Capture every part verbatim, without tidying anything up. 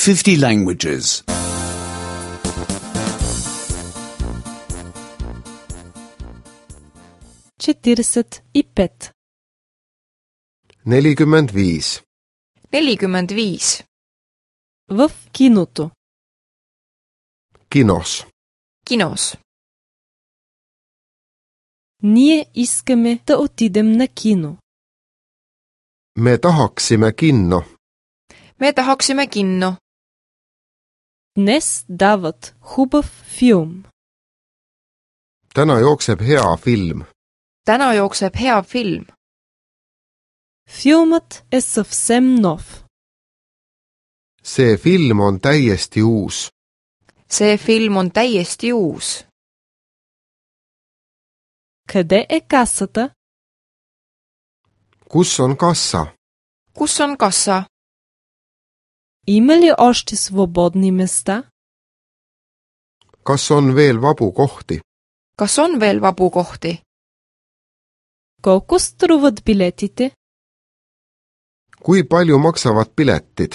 fifty languages. четиридесет и пет. nelikümmend viis. nelikümmend viis. В киното. Kinos. Kinos. Ние искаме да отидем на кино. Me tahaksime kinno. Me tahaksime kinno. Днес дават хубав филм. Täna jookseb hea film. Täna jookseb hea film. Филмът е съвсем нов. See film on täiesti uus. See film on täiesti uus. Къде е касата? Kus on kassa? Kus on kassa? Има ли още свободни места? Kas on veel vabu kohti? Kas on veel vabu kohti? Колко струват билетите? Kui palju maksavad piletid?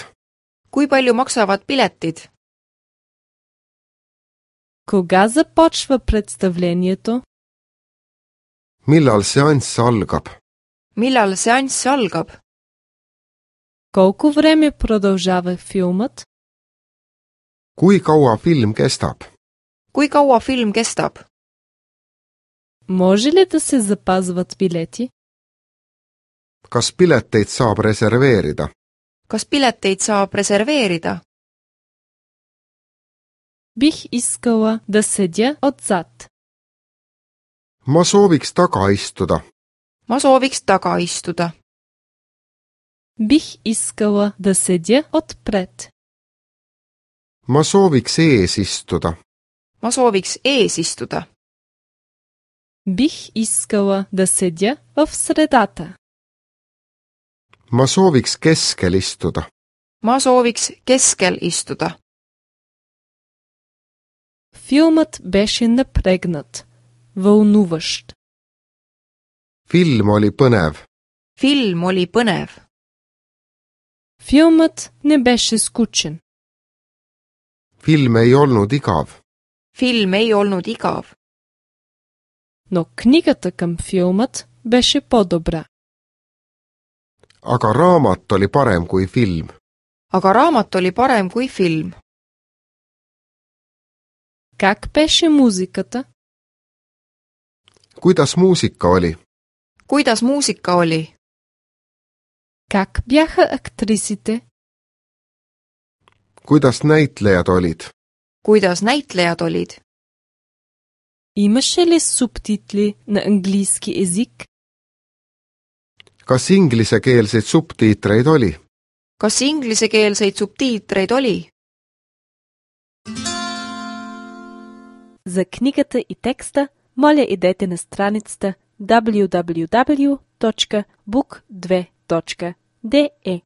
Kui palju maksavad piletid? Кога започва представлението? Millal seanss algab? Millal seanss algab? Колко време продължава филмът? Kui kaua film kestab? Kui kaua film kestab? Може ли да се запазват билети? Kas pileteid saab reserveerida? Kas pileteid saab reserveerida? Бих искала да седя отзад. Ma sooviks taga istuda. Ma sooviks taga istuda. Бих искала да седя отпред. Ma sooviks ees istuda. Ma sooviks ees istuda. Бих искала да седя в средата. Ma sooviks keskel istuda. Ma sooviks keskel istuda. Филмът беше напрегнат, вълнуващ. Film oli põnev. Film oli põnev. Филмът не беше скучен. Film ei olnud igav. Film ei olnud igav. Но книгата към филмът беше по-добра. Aga raamat oli parem kui film. Aga raamat oli parem kui film. Как беше музиката? Kuidas muusika oli? Kuidas muusika oli? Как бяха актрисите? Kuidas näitlejad olid? Kuidas näitlejad olid? Имаше ли субтитли на английски език? Kas inglisekeelseid subtiitreid oli? Kas inglisekeelseid subtiitreid oli? За книгата и текста моля идете на страницата даблю даблю даблю точка бук две точка де е.